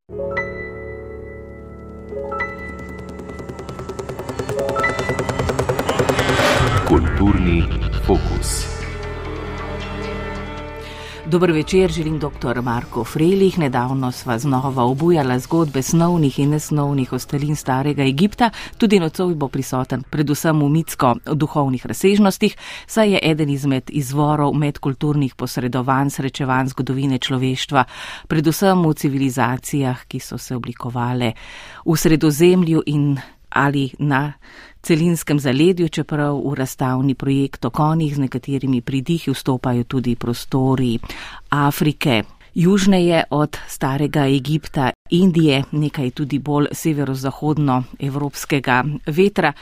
Kulturni fokus. Dober večer, želim dr. Marko Frelih. Nedavno sva znova obujala zgodbe snovnih in nesnovnih ostalin starega Egipta. Tudi nocoj bo prisoten predvsem v mitsko-duhovnih razsežnostih, saj je eden izmed izvorov medkulturnih posredovanj, srečevanj zgodovine človeštva, predvsem v civilizacijah, ki so se oblikovale v Sredozemlju in ali na celinskem zaledju, čeprav v razstavni projekt o konjih z nekaterimi pridihi vstopajo tudi prostori Afrike. Južneje od starega Egipta, Indije, nekaj tudi bolj severozahodno evropskega vetra.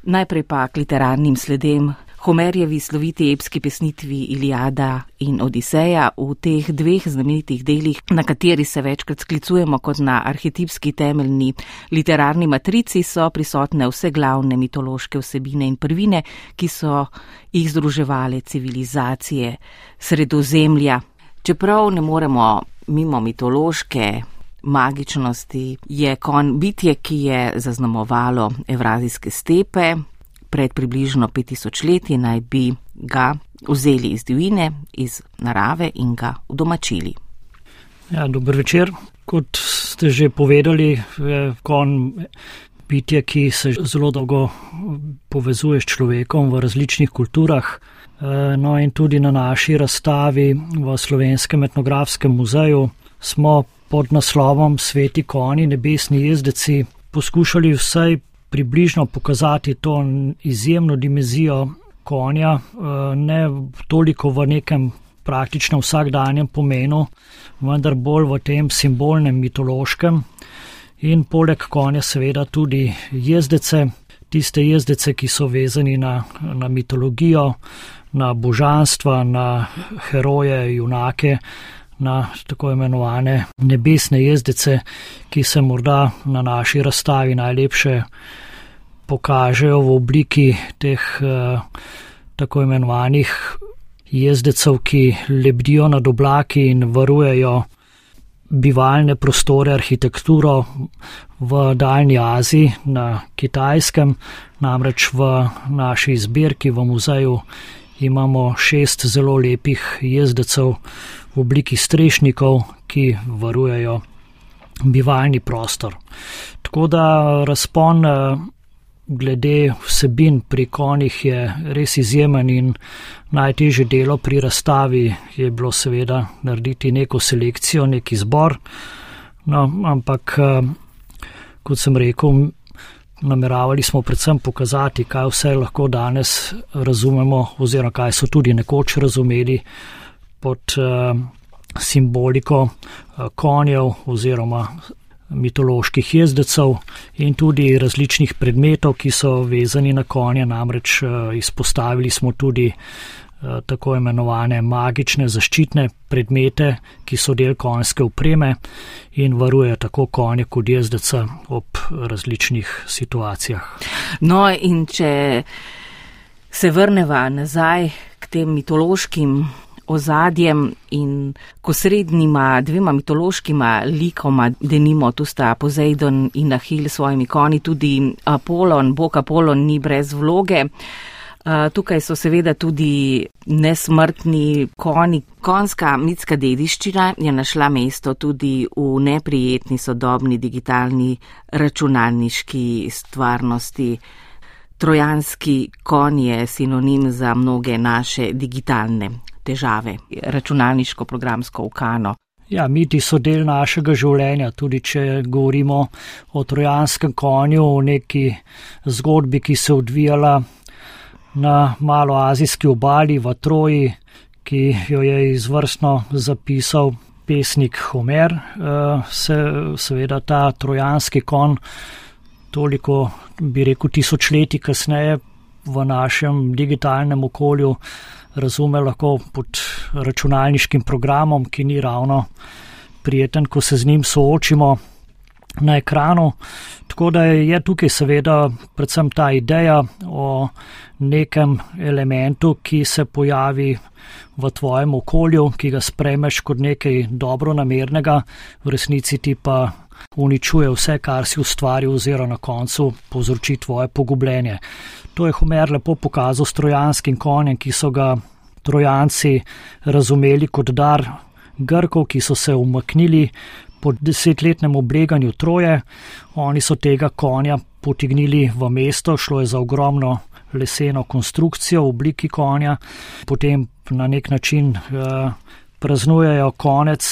Najprej pa k literarnim sledem. Homerjevi sloviti epski pesnitvi Iliada in Odiseja, v teh dveh znamenitih delih, na kateri se večkrat sklicujemo kot na arhetipski temeljni literarni matrici, so prisotne vse glavne mitološke vsebine in prvine, ki so jih združevale civilizacije Sredozemlja. Čeprav ne moremo mimo mitološke magičnosti, je konj bitje, ki je zaznamovalo evrazijske stepe. Pred približno 5000 leti naj bi ga vzeli iz divjine, iz narave in ga udomačili. Ja, dober večer. Kot ste že povedali, je konj bitje, ki se zelo dolgo povezuje s človekom v različnih kulturah. No in tudi na naši razstavi v Slovenskem etnografskem muzeju smo pod naslovom Sveti konji, nebesni jezdeci poskušali vsaj približno pokazati to izjemno dimenzijo konja, ne toliko v nekem praktičnem vsakdanjem pomenu, vendar bolj v tem simbolnem mitološkem in poleg konja seveda tudi jezdece, tiste jezdece, ki so vezani na mitologijo, na božanstva, na heroje, junake, na tako imenovane nebesne jezdece, ki se morda na naši razstavi najlepše pokažejo v obliki teh tako imenovanih jezdecev, ki lebdijo nad oblaki in varujejo bivalne prostore, arhitekturo v daljni Aziji, na Kitajskem. Namreč v naši zbirki v muzeju imamo 6 zelo lepih jezdecev v obliki strešnikov, ki varujejo bivalni prostor. Tako da razpon glede vsebin pri konjih je res izjemen in najtežje delo pri razstavi je bilo seveda narediti neko selekcijo, nek izbor. No, ampak, kot sem rekel, nameravali smo predvsem pokazati, kaj vse lahko danes razumemo oziroma kaj so tudi nekoč razumeli pod simboliko konjev oziroma mitoloških jezdecev in tudi različnih predmetov, ki so vezani na konje. Namreč izpostavili smo tudi tako imenovane magične zaščitne predmete, ki so del konjske opreme in varujejo tako konje kot jezdeca ob različnih situacijah. No, in če se vrneva nazaj k tem mitološkim ozadjem in k osrednjima dvema mitološkima likoma, denimo tu sta Pozejdon in Ahil s svojimi konji, tudi Apolon, bog Apolon ni brez vloge. Tukaj so seveda tudi nesmrtni konji. Konjska mitska dediščina je našla mesto tudi v neprijetni sodobni digitalni računalniški stvarnosti. Trojanski konj je sinonim za mnoge naše digitalne težave, računalniško-programsko ukano. Ja, miti so del našega življenja, tudi če govorimo o trojanskem konju, o neki zgodbi, ki se odvijala na maloazijski obali v Troji, ki jo je izvrstno zapisal pesnik Homer. Seveda ta trojanski konj toliko, bi rekel, tisočletij kasneje v našem digitalnem okolju razume lahko pod računalniškim programom, ki ni ravno prijeten, ko se z njim soočimo na ekranu. Tako da je tukaj seveda predvsem ta ideja o nekem elementu, ki se pojavi v tvojem okolju, ki ga sprejmeš kot nekaj dobronamernega, v resnici ti pa uničuje vse, kar si ustvaril, oziroma na koncu povzroči tvoje pogubljenje. To je Homer lepo pokazal s trojanskim konjem, ki so ga Trojanci razumeli kot dar Grkov, ki so se umaknili po 10-letnem obleganju Troje. Oni so tega konja potegnili v mesto, šlo je za ogromno leseno konstrukcijo v obliki konja. Potem na nek način praznujejo konec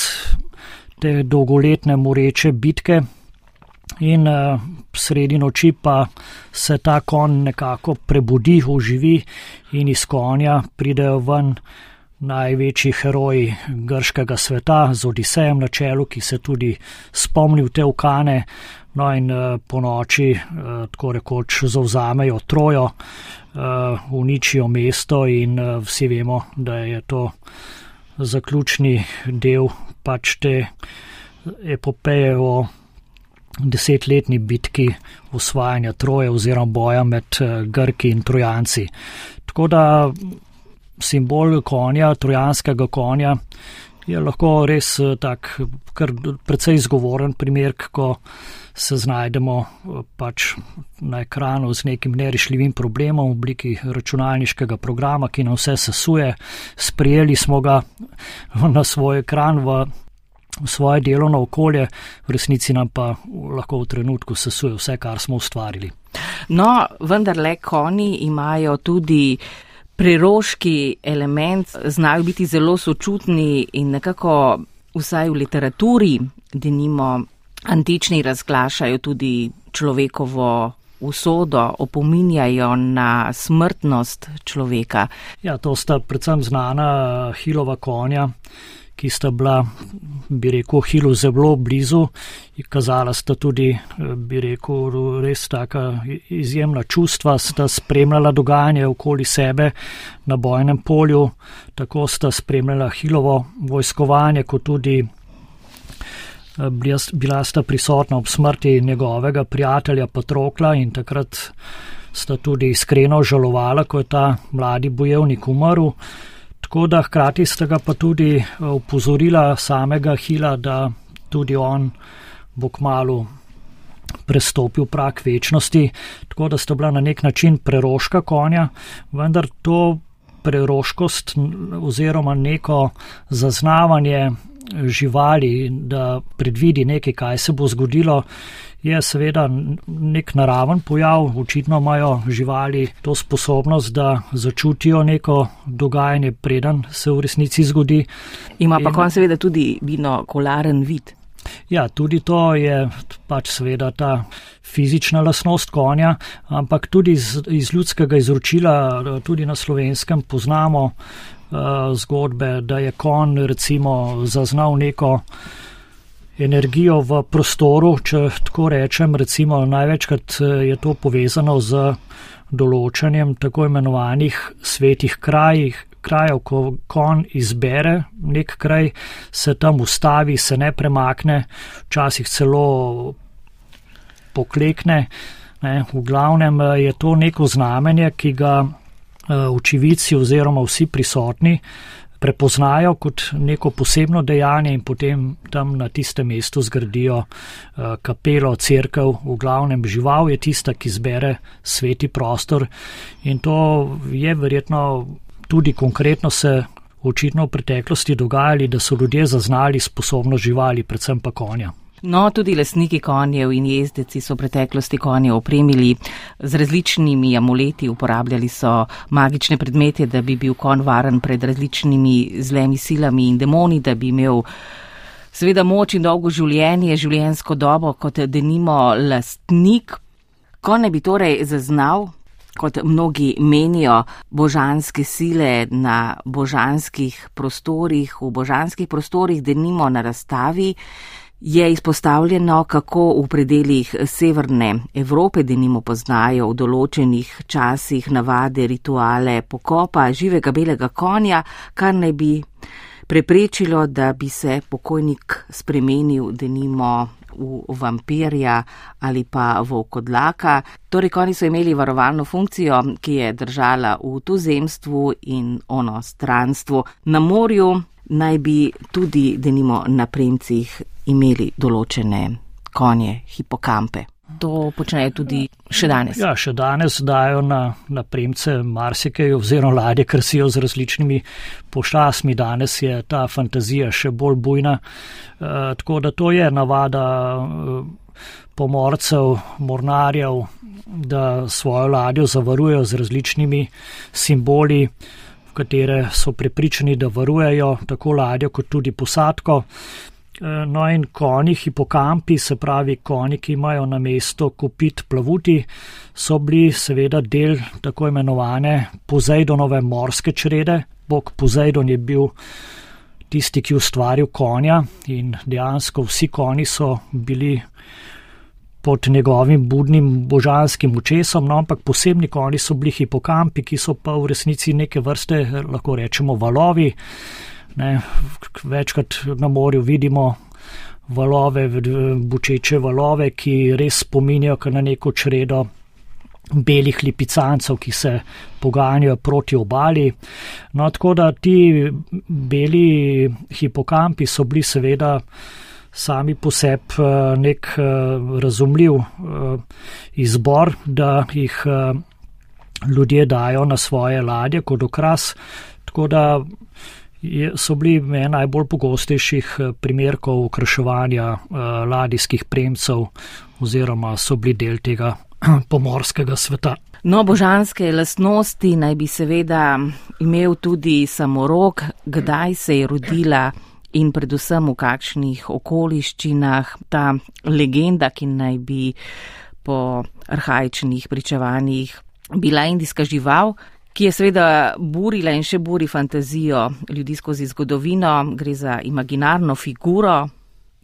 te dolgoletne moreče bitke in sredi noči pa se ta konj nekako prebudi, oživi in iz konja pridejo ven največji heroji grškega sveta z Odisejem na čelu, ki se tudi spomnil te ukane, no in po noči tako rekoč zavzamejo Trojo, uničijo mesto in vsi vemo, da je to zaključni del pač te epopeje o 10-letni bitki osvajanja Troje oziroma boja med Grki in Trojanci. Tako da simbol konja, trojanskega konja, je lahko res tak kar precej izgovoren primer, ko se znajdemo pač na ekranu z nekim nerešljivim problemom v obliki računalniškega programa, ki nam vse sesuje. Sprijeli smo ga na svoj ekran v svoje delovno okolje, v resnici nam pa lahko v trenutku sesuje vse, kar smo ustvarili. No, vendarle konji imajo tudi preroški element, znajo biti zelo sočutni in nekako vsaj v literaturi, denimo antični, razglašajo tudi človekovo usodo, opominjajo na smrtnost človeka. Ja, to sta predvsem znana Hilova konja, ki sta bila, bi rekel, Hilu zelo blizu, kazala sta tudi, bi rekel, res taka izjemna čustva, sta spremljala dogajanje okoli sebe na bojnem polju, tako sta spremljala Hilovo vojskovanje, kot tudi bila sta prisotna ob smrti njegovega prijatelja Patrokla in takrat sta tudi iskreno žalovala, ko je ta mladi bojevnik umrl. Tako da hkrati sta ga pa tudi upozorila samega Hila, da tudi on bo kmalu prestopil prag večnosti, tako da sta bila na nek način preroška konja, vendar to preroškost oziroma neko zaznavanje živali, da predvidi nekaj, kaj se bo zgodilo, je seveda nek naraven pojav. Očitno imajo živali to sposobnost, da začutijo neko dogajanje, preden se v resnici zgodi. Ima pa konj seveda tudi binokularen vid. Ja, tudi to je pač seveda ta fizična lastnost konja, ampak tudi iz ljudskega izročila, tudi na Slovenskem poznamo zgodbe, da je konj recimo zaznal neko energijo v prostoru, če tako rečem, recimo največkrat je to povezano z določanjem tako imenovanih svetih krajev, ko konj izbere nek kraj, se tam ustavi, se ne premakne, včasih celo poklekne. V glavnem je to neko znamenje, ki ga očividci oziroma vsi prisotni prepoznajo kot neko posebno dejanje in potem tam na tistem mestu zgradijo kapelo, cerkev. V glavnem žival je tista, ki zbere sveti prostor in to je verjetno tudi konkretno se očitno v preteklosti dogajali, da so ljudje zaznali sposobnost živali, predvsem pa konja. No, tudi lastniki konjev in jezdeci so v preteklosti konje opremili z različnimi amuleti, uporabljali so magične predmete, da bi bil konj varen pred različnimi zlemi silami in demoni, da bi imel seveda moč in dolgo življenje, življenjsko dobo kot denimo lastnik. Konj bi torej zaznal, kot mnogi menijo, božanske sile na božanskih prostorih, v božanskih prostorih, denimo na razstavi, je izpostavljeno, kako v predeljih severne Evrope denimo poznajo v določenih časih navade, rituale pokopa živega belega konja, kar naj bi preprečilo, da bi se pokojnik spremenil denimo v vampirja ali pa volkodlaka. Torej, konji so imeli varovalno funkcijo, ki je držala v tuzemstvu in onostranstvu. Na morju naj bi tudi denimo na premcih imeli določene konje, hipokampe. To počnejo tudi še danes. Ja, še danes dajo na premce marsikaj oziroma ladje krasijo z različnimi pošastmi. Danes je ta fantazija še bolj bujna. Tako da to je navada pomorcev, mornarjev, da svojo ladjo zavarujejo z različnimi simboli, v katere so prepričani, da varujejo tako ladjo kot tudi posadko. No in konji, hipokampi, se pravi konji, ki imajo na mesto kopit plavuti, so bili seveda del tako imenovane Pozejdonove morske črede. Bog Pozejdon je bil tisti, ki ustvaril konja in dejansko vsi konji so bili pod njegovim budnim božanskim očesom, no, ampak posebni konji so bili hipokampi, ki so pa v resnici neke vrste, lahko rečemo, valovi. Ne, večkrat na morju vidimo valove, bučeče valove, ki res spominjajo na neko čredo belih lipicancev, ki se poganjajo proti obali. No, tako da ti beli hipokampi so bili seveda sami po sebi nek razumljiv izbor, da jih ljudje dajo na svoje ladje kot okras, tako da so bili ena najbolj pogostejših primerkov okraševanja ladijskih premcev oziroma so bili del tega pomorskega sveta. No, božanske lastnosti naj bi seveda imel tudi samorog. Kdaj se je rodila in predvsem v kakšnih okoliščinah ta legenda, ki naj bi po arhaičnih pričevanjih bila indijska žival, ki je seveda burila in še buri fantazijo ljudi skozi zgodovino. Gre za imaginarno figuro,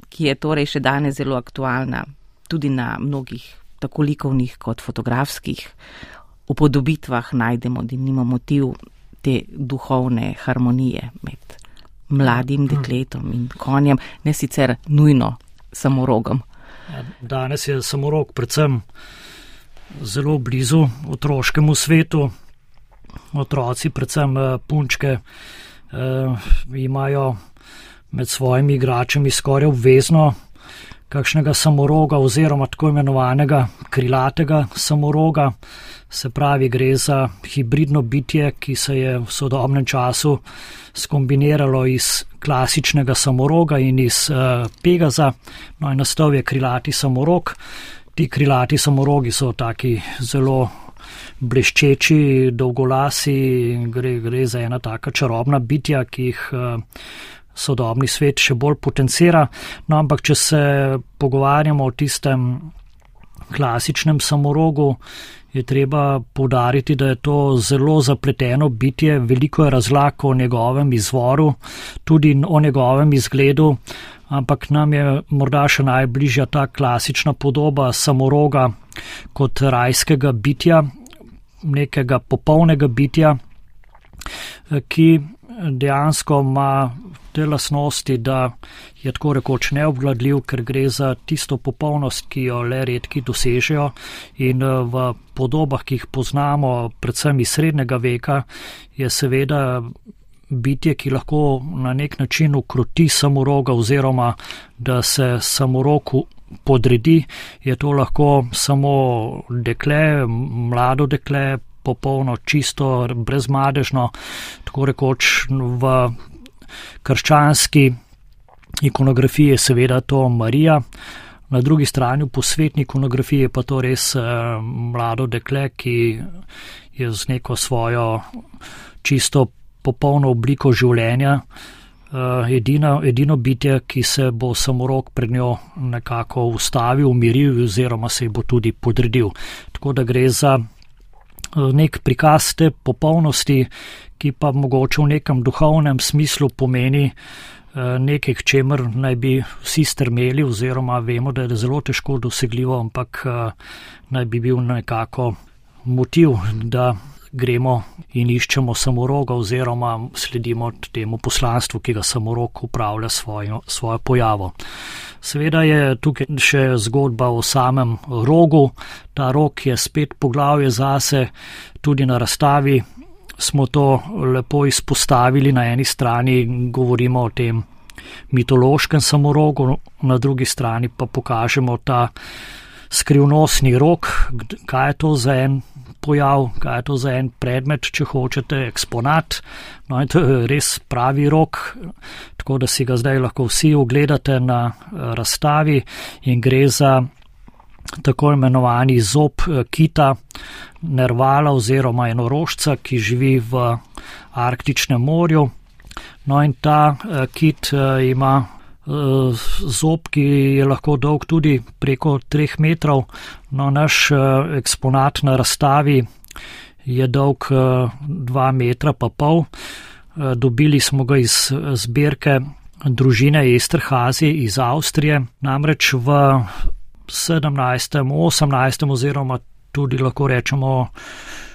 ki je torej še danes zelo aktualna, tudi na mnogih tako likovnih kot fotografskih upodobitvah najdemo denimo motiv te duhovne harmonije med mladim dekletom in konjem, ne sicer nujno samorogom. Danes je samorog predvsem zelo blizu otroškemu svetu. Otroci, predvsem punčke, imajo med svojimi igračami skoraj obvezno kakšnega samoroga oziroma tako imenovanega krilatega samoroga. Se pravi, gre za hibridno bitje, ki se je v sodobnem času skombiniralo iz klasičnega samoroga in iz Pegaza. No in nastal je krilati samorog. Ti krilati samorogi so taki zelo bleščeči, dolgolasi, gre za ena taka čarobna bitja, ki jih sodobni svet še bolj potencira. No, ampak če se pogovarjamo o tistem klasičnem samorogu, je treba poudariti, da je to zelo zapleteno bitje, veliko je razlag o njegovem izvoru, tudi o njegovem izgledu, ampak nam je morda še najbližja ta klasična podoba samoroga kot rajskega bitja, nekega popolnega bitja, ki dejansko ima te lastnosti, da je tako rekoč neobvladljiv, ker gre za tisto popolnost, ki jo le redki dosežejo, in v podobah, ki jih poznamo, predvsem iz srednjega veka, je seveda bitje, ki lahko na nek način ukroti samoroga oziroma da se samorogu podredi. Je to lahko samo dekle, mlado dekle, popolno, čisto, brezmadežno, tako rekoč v krščanski ikonografiji je seveda to Marija. Na drugi strani v posvetni ikonografiji je pa to res mlado dekle, ki je z neko svojo čisto popolno obliko življenja, edino bitje, ki se bo samorog pred njo nekako ustavil, umiril oziroma se ji bo tudi podredil. Tako da gre za nek prikaz te popolnosti, ki pa mogoče v nekem duhovnem smislu pomeni nekaj, k čemer naj bi vsi strmeli, oziroma vemo, da je zelo težko dosegljivo, ampak naj bi bil nekako motiv, da gremo in iščemo samoroga oziroma sledimo temu poslanstvu, ki ga samorog upravlja svojo pojavo. Seveda je tukaj še zgodba o samem rogu. Ta rog je spet poglavje zase, tudi na razstavi smo to lepo izpostavili. Na eni strani govorimo o tem mitološkem samorogu, na drugi strani pa pokažemo ta skrivnostni rog, kaj je to za en pojav, kaj je to za en predmet, če hočete, eksponat. No in to je res pravi rog, tako da si ga zdaj lahko vsi ogledate na razstavi in gre za tako imenovani zob kita nervala oziroma enorožca, ki živi v Arktičnem morju. No in ta kit ima zob, ki je lahko dolg tudi preko 3 metrov. No, naš eksponat na razstavi je dolg 2,5 metra. Dobili smo ga iz zbirke družine Esterhazy iz Avstrije, namreč v 17., 18. oziroma tudi lahko rečemo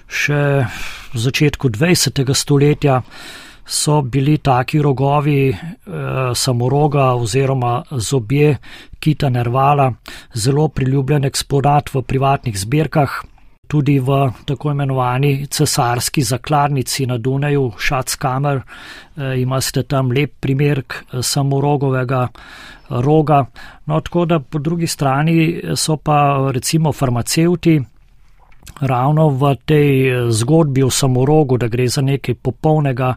še v začetku 20. stoletja so bili taki rogovi samoroga oziroma zobje kita nervala zelo priljubljen eksponat v privatnih zbirkah. Tudi v tako imenovani cesarski zakladnici na Dunaju, Schatzkammer, imate tam lep primerek samorogovega roga. No, tako da po drugi strani so pa recimo farmacevti ravno v tej zgodbi o samorogu, da gre za nekaj popolnega,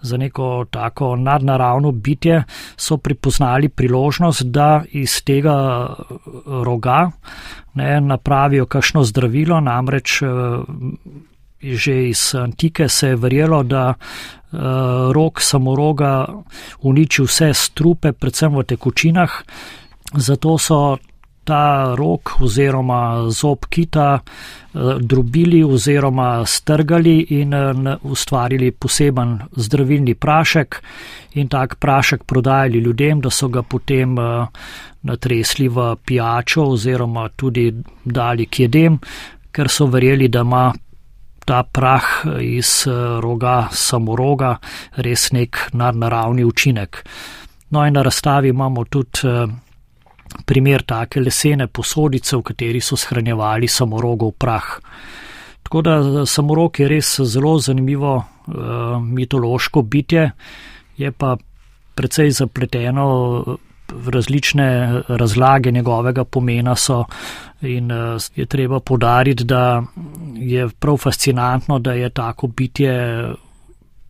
za neko tako nadnaravno bitje, so pripoznali priložnost, da iz tega roga napravijo kakšno zdravilo, namreč že iz antike se je verjelo, da rog samoroga uniči vse strupe, predvsem v tekočinah, zato so ta rog oziroma zob kita drobili oziroma strgali in ustvarili poseben zdravilni prašek in tak prašek prodajali ljudem, da so ga potem natresli v pijačo oziroma tudi dali k jedem, ker so verjeli, da ima ta prah iz roga samoroga res nek nadnaravni učinek. No in na razstavi imamo tudi primer take lesene posodice, v kateri so shranjevali samorogov prah. Tako da samorog je res zelo zanimivo mitološko bitje, je pa precej zapleteno, različne razlage njegovega pomena so in je treba poudariti, da je prav fascinantno, da je tako bitje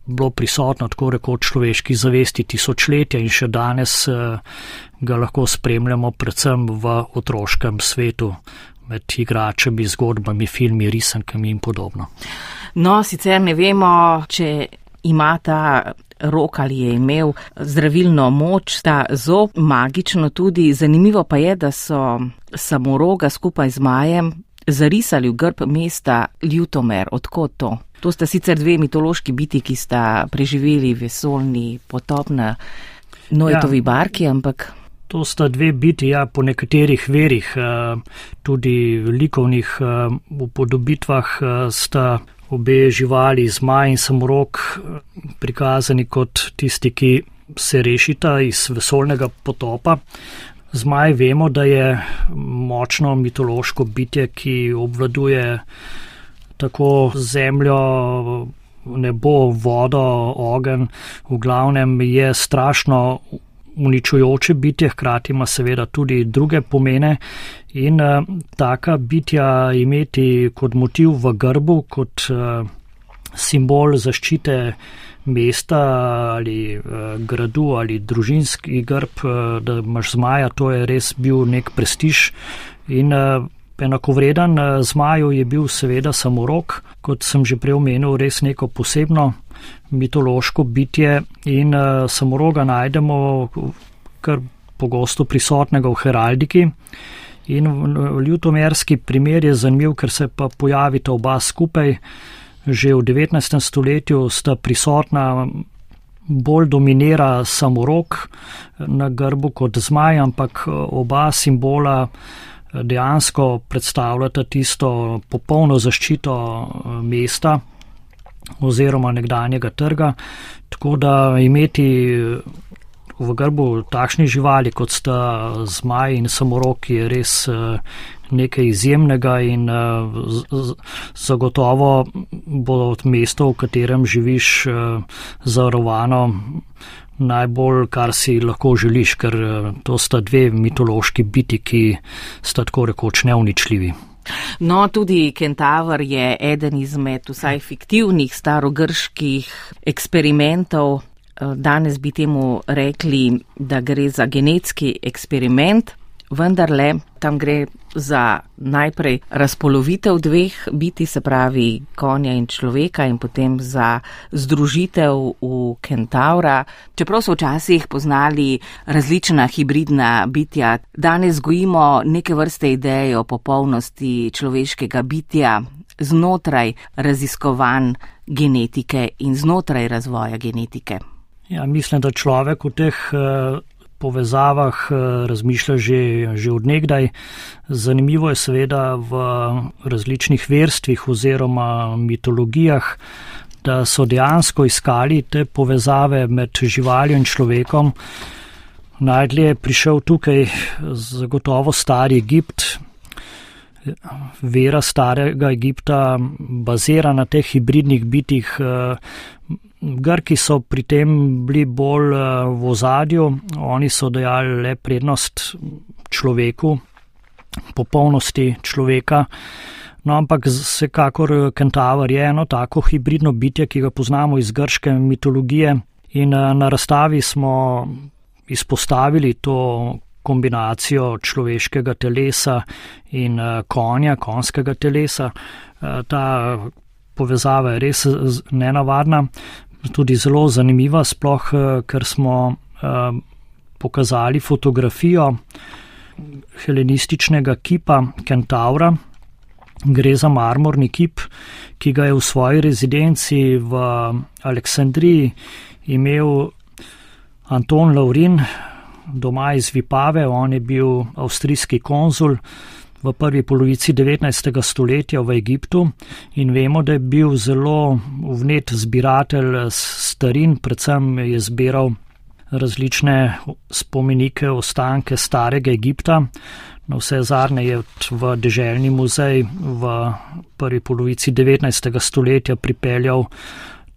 bilo prisotno tako rekoč človeški zavesti tisočletja in še danes ga lahko spremljamo predvsem v otroškem svetu med igračami, zgodbami, filmi, risankami in podobno. No, sicer ne vemo, če ima ta rok ali je imel zdravilno moč, ta zob magično tudi. Zanimivo pa je, da so samoroga skupaj z zmajem zarisali v grb mesta Ljutomer. Odkot to? To sta sicer 2 mitološki biti, ki sta preživeli vesoljni potop na Noetovi barki, ampak... To sta 2 biti, po nekaterih verih, tudi likovnih upodobitvah sta obe živali, zmaj in samorog, prikazani kot tisti, ki se rešita iz vesoljnega potopa. Zmaj vemo, da je močno mitološko bitje, ki obvladuje tako zemljo, nebo, vodo, ogenj, v glavnem je strašno uničujoče bitje, hkrati ima seveda tudi druge pomene in taka bitja imeti kot motiv v grbu, kot simbol zaščite mesta ali gradu ali družinski grb, da imaš zmaja, to je res bil nek prestiž in enakovreden zmaju je bil seveda samorog, kot sem že prej omenil, res neko posebno mitološko bitje in samoroga najdemo kar pogosto prisotnega v heraldiki in ljutomerski primer je zanimiv, ker se pa pojavita oba skupaj. Že v 19. stoletju sta prisotna, bolj dominira samorog na grbu kot zmaj, ampak oba simbola dejansko predstavljata tisto popolno zaščito mesta oziroma nekdanjega trga, tako da imeti v grbu takšni živali, kot sta zmaj in samorog, je res nekaj izjemnega in zagotovo bo mesto, v katerem živiš, zavarovano najbolj, kar si lahko želiš, ker to sta dve mitološki biti, ki sta tako rekoč neuničljivi. No, tudi kentaver je eden izmed vsaj fiktivnih starogrških eksperimentov. Danes bi temu rekli, da gre za genetski eksperiment, vendarle tam gre za najprej razpolovitev dveh biti, se pravi konja in človeka, in potem za združitev v kentavra. Čeprav so včasih poznali različna hibridna bitja, danes gojimo neke vrste ideje o popolnosti človeškega bitja znotraj raziskovanj genetike in znotraj razvoja genetike. Ja, mislim, da človek v teh povezavah razmišlja že od nekdaj. Zanimivo je seveda v različnih verstvih oziroma mitologijah, da so dejansko iskali te povezave med živaljo in človekom. Najdlje je prišel tukaj zagotovo stari Egipt. Vera starega Egipta bazira na teh hibridnih bitih. Grki so pri tem bili bolj v ozadju, oni so dajali le prednost človeku, popolnosti človeka. No, ampak vsekakor kentaver je eno tako hibridno bitje, ki ga poznamo iz grške mitologije, in na razstavi smo izpostavili to kombinacijo človeškega telesa in konjskega telesa. Ta povezava je res nenavadna, tudi zelo zanimiva, sploh ker smo pokazali fotografijo helenističnega kipa kentavra. Gre za marmorni kip, ki ga je v svoji rezidenci v Aleksandriji imel Anton Laurin, doma iz Vipave. On je bil avstrijski konzul v prvi polovici 19. stoletja v Egiptu in vemo, da je bil zelo vnet zbiratelj starin, predvsem je zbiral različne spomenike, ostanke starega Egipta. Na vse zadnje je v deželni muzej v prvi polovici 19. stoletja pripeljal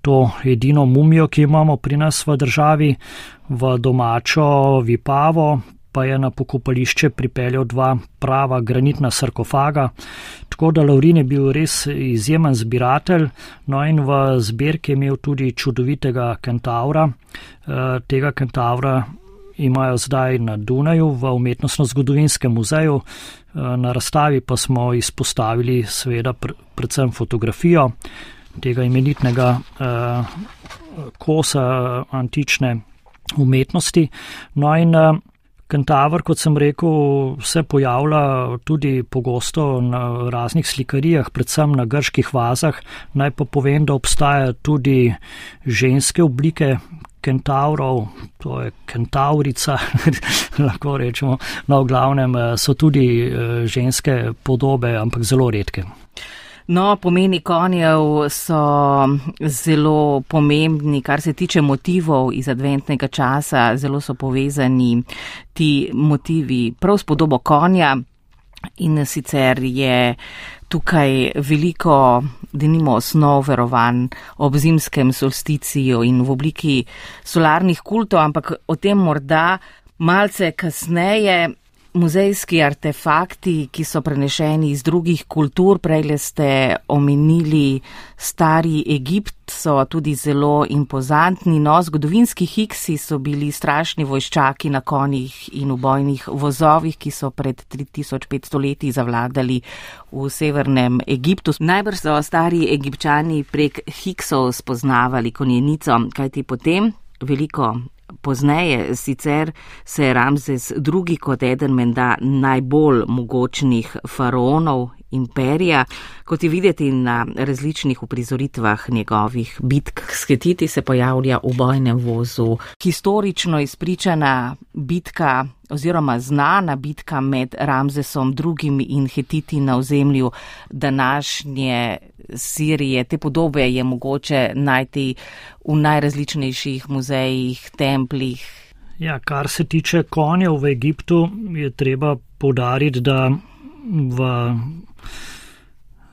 to edino mumijo, ki imamo pri nas v državi. V domačo Vipavo pa je na pokopališče pripeljal dva prava granitna sarkofaga. Tako da Laurin je bil res izjemen zbiratelj, no in v zbirki je imel tudi čudovitega kentavra. Tega kentavra imajo zdaj na Dunaju v Umetnostno-zgodovinskem muzeju. Na razstavi pa smo izpostavili seveda predvsem fotografijo tega imenitnega kosa antične umetnosti. No in kentaver, kot sem rekel, se pojavlja tudi pogosto na raznih slikarijah, predvsem na grških vazah. Naj pa povem, da obstajajo tudi ženske oblike kentavrov, to je kentaurica, lahko rečemo. No, v glavnem so tudi ženske podobe, ampak zelo redke. No, pomeni konjev so zelo pomembni, kar se tiče motivov iz adventnega časa, zelo so povezani ti motivi prav s podobo konja, in sicer je tukaj veliko, denimo, osnov verovanj ob zimskem solsticiju in v obliki solarnih kultov, ampak o tem morda malce kasneje. Muzejski artefakti, ki so prenešeni iz drugih kultur, prejle ste omenili stari Egipt, so tudi zelo impozantni. No, zgodovinski Hiksi so bili strašni vojščaki na konjih in v bojnih vozovih, ki so pred 3500 leti zavladali v severnem Egiptu. Najbrž so stari Egipčani prek Hiksov spoznavali konjenico, kajti potem veliko pozneje sicer se je Ramzes II. Kot eden menda najbolj mogočnih faraonov imperija, kot je videti na različnih uprizoritvah njegovih bitk s Hetiti, se pojavlja v bojnem vozu historično izpričana bitka oziroma znana bitka med Ramzesom II. In Hetiti na ozemlju današnje Sirije. Te podobe je mogoče najti v najrazličnejših muzejih, templih. Ja, kar se tiče konjev v Egiptu, je treba poudariti, da v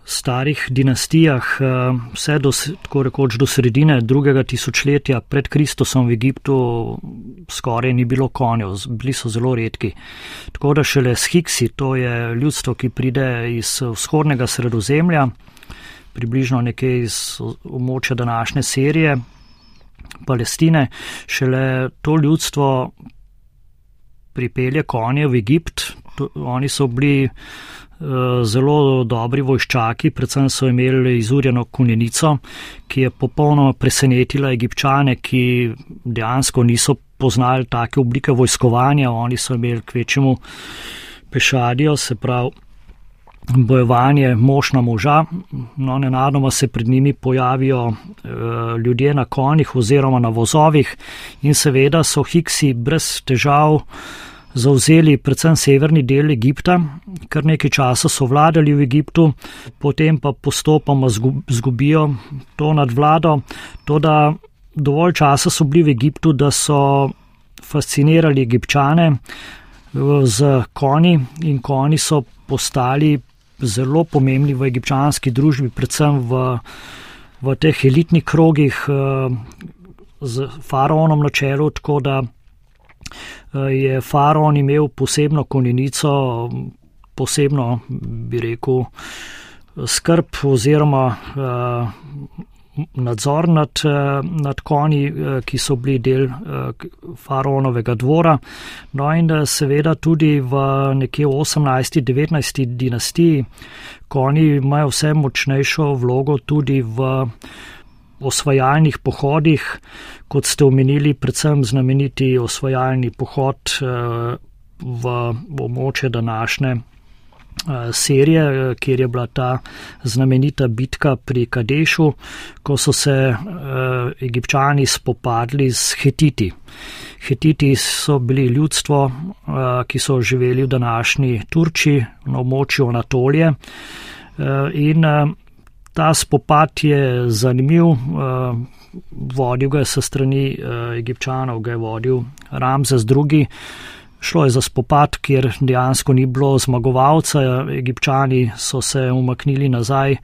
starih dinastijah, vse tako rekoč do sredine 2. tisočletja pred Kristusom v Egiptu skoraj ni bilo konjev, bili so zelo redki. Tako da šele s Hiksi, to je ljudstvo, ki pride iz vzhodnega Sredozemlja, približno nekje iz območja današnje Sirije, Palestine, šele to ljudstvo pripelje konje v Egipt. Oni so bili zelo dobri vojščaki, predvsem so imeli izurjeno konjenico, ki je popolnoma presenetila Egipčane, ki dejansko niso poznali take oblike vojskovanja. Oni so imeli kvečemu pešadijo, se pravi bojevanje mož na moža. No, nenadoma se pred njimi pojavijo ljudje na konjih oziroma na vozovih in seveda so Hiksi brez težav zavzeli predvsem severni del Egipta, kar nekaj časa so vladali v Egiptu, potem pa postopoma zgubijo to nadvlado. Toda dovolj časa so bili v Egiptu, da so fascinirali Egipčane z konji in konji so postali zelo pomembni v egipčanski družbi, predvsem v teh elitnih krogih z faraonom na čelu, tako da je faraon imel posebno konjenico, posebno, bi rekel, skrb oziroma nadzor nad konji, ki so bili del faraonovega dvora. No in seveda tudi v nekje 18. 19. dinastiji konji imajo vse močnejšo vlogo tudi v osvajalnih pohodih, kot ste omenili, predvsem znameniti osvajalni pohod v območje današnje Sirije, kjer je bila ta znamenita bitka pri Kadešu, ko so se Egipčani spopadli s Hetiti. Hetiti so bili ljudstvo, ki so živeli v današnji Turčiji, na območju Anatolije, in ta spopad je zanimiv, vodil ga je sa strani Egipčanov, ga je vodil Ramzes II. Šlo je za spopad, kjer dejansko ni bilo zmagovalca. Egipčani so se umaknili nazaj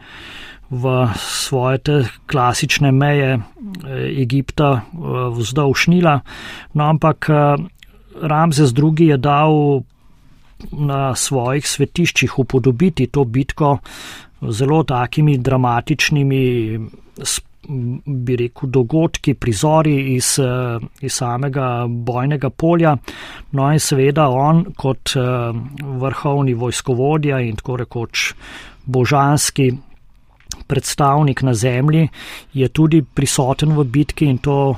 v svoje te klasične meje Egipta vzdolž Nila. No, ampak Ramzes II. Je dal na svojih svetiščih upodobiti to bitko zelo takimi dramatičnimi, bi rekel, dogodki, prizori iz samega bojnega polja. No in seveda on kot vrhovni vojskovodja in tako rekoč božanski predstavnik na zemlji je tudi prisoten v bitki in to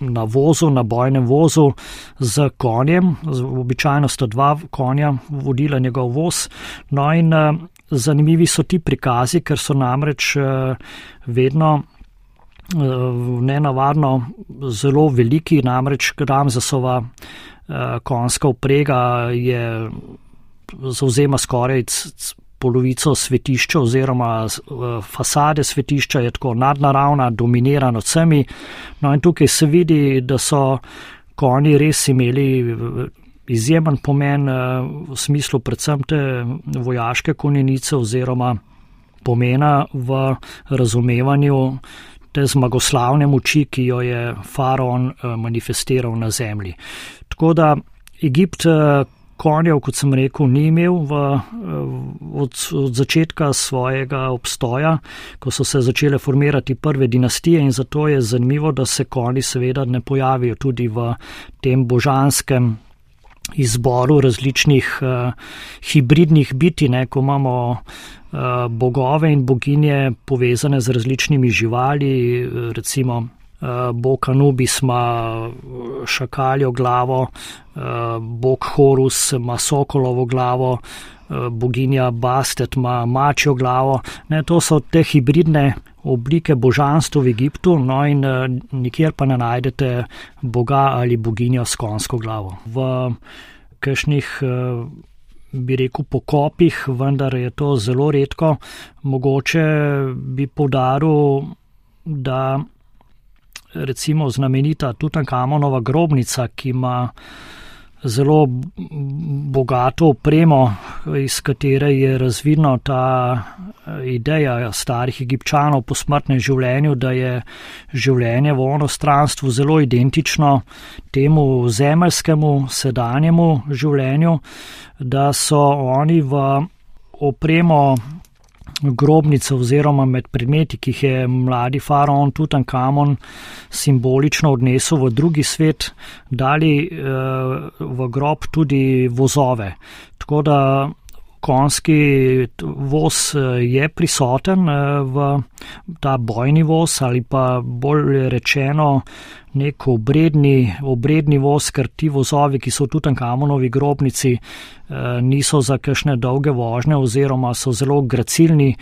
na vozu, na bojnem vozu z konjem. Običajno sta 2 konja vodila njegov voz. No in zanimivi so ti prikazi, ker so namreč vedno nenavadno zelo veliki, namreč Ramzesova konjska vprega zavzema skoraj polovico svetišča oziroma fasade svetišča je tako nadnaravna, dominira nad vsemi. No in tukaj se vidi, da so konji res imeli izjemen pomen v smislu predvsem te vojaške konjenice oziroma pomena v razumevanju te zmagoslavne moči, ki jo je faraon manifestiral na zemlji. Tako da Egipt konjev, kot sem rekel, ni imel od začetka svojega obstoja, ko so se začele formirati prve dinastije in zato je zanimivo, da se konji seveda ne pojavijo tudi v tem božanskem izboru različnih hibridnih bitij, ko imamo bogove in boginje povezane z različnimi živali, recimo bog Anubis ima šakaljo glavo, bog Horus ima sokolovo glavo, boginja Bastet ima mačjo glavo. To so te hibridne oblike božanstva v Egiptu, no in nikjer pa ne najdete boga ali boginjo s konjsko glavo. V kakšnih, bi rekel, pokopih, vendar je to zelo redko. Mogoče bi poudaril, da recimo znamenita Tutankamonova grobnica, ki ima zelo bogato opremo, iz katere je razvidno ta ideja starih Egipčanov po smrtnem življenju, da je življenje v onostranstvu zelo identično temu zemeljskemu, sedanjemu življenju, da so oni v opremo grobnice oziroma med predmeti, ki jih je mladi faraon Tutankamon simbolično odnesel v drugi svet, dali v grob tudi vozove. Tako da konjski voz je prisoten v ta bojni voz ali pa bolj rečeno nek obredni voz, ker ti vozovi, ki so v Tutankamonovi grobnici, niso za kakšne dolge vožnje oziroma so zelo gracilni,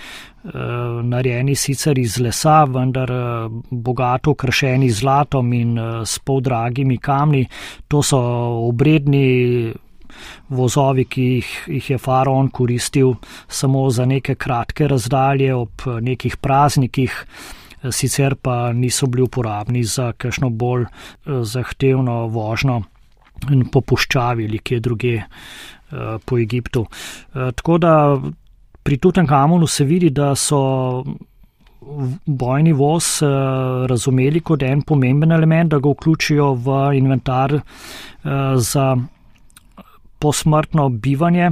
narejeni sicer iz lesa, vendar bogato okrašeni z zlatom in s poldragimi kamni. To so obredni vozovi, ki jih je faraon koristil samo za neke kratke razdalje ob nekih praznikih, sicer pa niso bili uporabni za kakšno bolj zahtevno vožnjo po puščavi ali kje druge po Egiptu. Tako da pri Tutankamonu se vidi, da so bojni voz razumeli kot en pomemben element, da ga vključijo v inventar za posmrtno bivanje,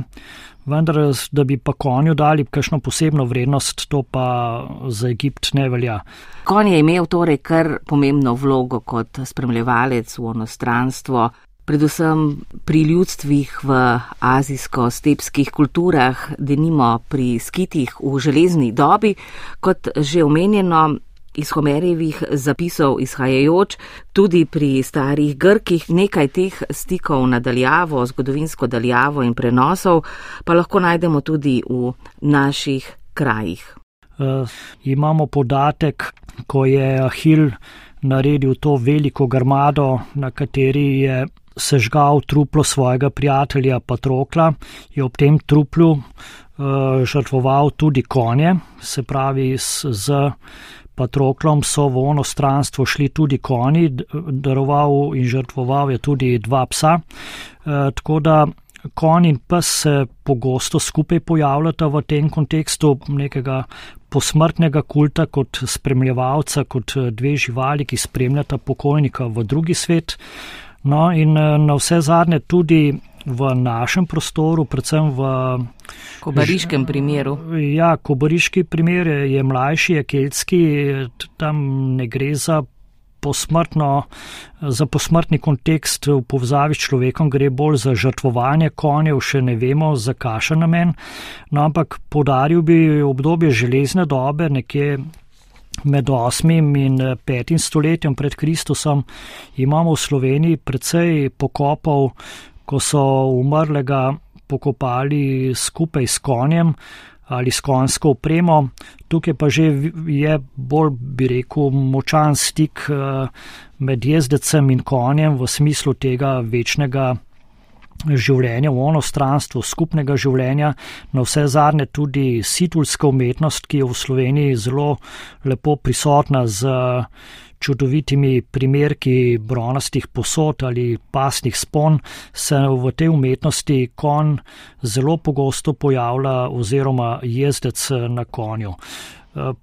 vendar da bi pa konju dali kakšno posebno vrednost, to pa za Egipt ne velja. Konj je imel torej kar pomembno vlogo kot spremljevalec v onostranstvo, predvsem pri ljudstvih v azijsko-stepskih kulturah, denimo pri skitih v železni dobi, kot že omenjeno, iz Homerjevih zapisov izhajajoč, tudi pri starih Grkih nekaj teh stikov nadaljavo, zgodovinsko daljavo in prenosov, pa lahko najdemo tudi v naših krajih. Imamo podatek, ko je Ahil naredil to veliko grmado, na kateri je sežgal truplo svojega prijatelja Patrokla, je ob tem truplu žrtvoval tudi konje, se pravi z Patroklom so v onostranstvo šli tudi konji, daroval in žrtvoval je tudi 2 psa, tako da konj in pes se pogosto skupaj pojavljata v tem kontekstu nekega posmrtnega kulta kot spremljevalca, kot 2 živali, ki spremljata pokojnika v drugi svet. No in na vse zadnje tudi v našem prostoru, predvsem v kobariškem primeru. Ja, kobariški primer je mlajši, je keltski, tam ne gre za posmrtni kontekst v povezavi s človekom, gre bolj za žrtvovanje konjev, še ne vemo za kakšen namen, no ampak poudaril bi obdobje železne dobe, nekje med 8. in 5. stoletjem pred Kristusom imamo v Sloveniji precej pokopov, ko so umrlega pokopali skupaj s konjem ali s konjsko opremo. Tukaj pa že je bolj, bi rekel, močan stik med jezdecem in konjem v smislu tega večnega življenja v onostranstvu, skupnega življenja, na vse zadnje tudi situlska umetnost, ki je v Sloveniji zelo lepo prisotna z čudovitimi primerki bronastih posod ali pasnih spon, se v tej umetnosti konj zelo pogosto pojavlja oziroma jezdec na konju.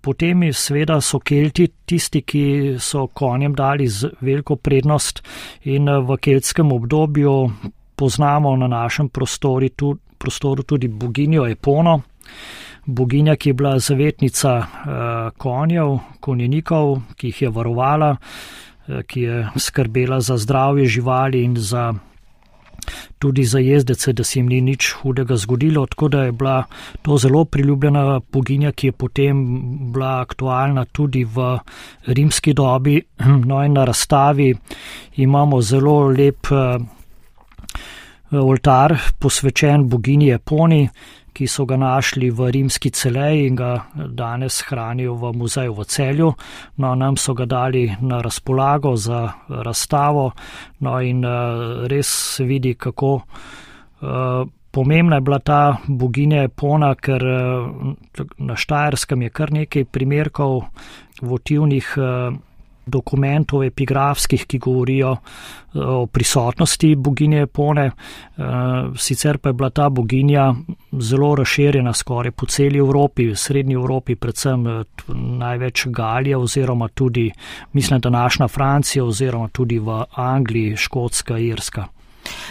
Potem seveda so Kelti tisti, ki so konjem dali veliko prednost in v keltskem obdobju poznamo na našem prostoru tudi boginjo Epono, boginja, ki je bila zavetnica konjev, konjenikov, ki jih je varovala, ki je skrbela za zdravje živali in tudi za jezdece, da se jim ni nič hudega zgodilo, tako da je bila to zelo priljubljena boginja, ki je potem bila aktualna tudi v rimski dobi. No in na razstavi imamo zelo lep oltar posvečen boginji Eponi, ki so ga našli v rimski Celeji in ga danes hranijo v muzeju v Celju. No, nam so ga dali na razpolago za razstavo, no in res se vidi, kako pomembna je bila ta boginja Epona, ker na Štajerskem je kar nekaj primerkov votivnih dokumentov epigrafskih, ki govorijo o prisotnosti boginje Epone. Sicer pa je bila ta boginja zelo razširjena skoraj po celi Evropi, v srednji Evropi, predvsem največ Galija oziroma tudi, mislim, današnja Francija oziroma tudi v Angliji, Škotska, Irska.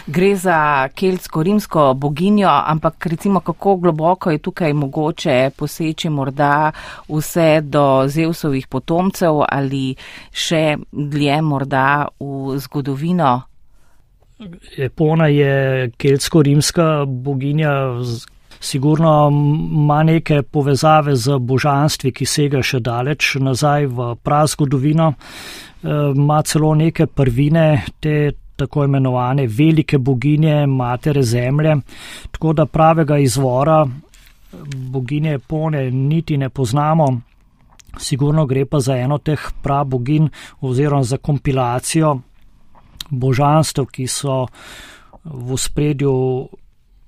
Gre za keltsko-rimsko boginjo, ampak recimo kako globoko je tukaj mogoče poseči morda vse do Zevsovih potomcev ali še dlje morda v zgodovino? Epona je keltsko-rimska boginja, sigurno ima neke povezave z božanstvi, ki sega še daleč nazaj v prazgodovino, ima celo neke prvine, te tako imenovane velike boginje, matere zemlje, tako da pravega izvora boginje Epone niti ne poznamo. Sigurno gre pa za eno teh praboginj oziroma za kompilacijo božanstev, ki so v ospredju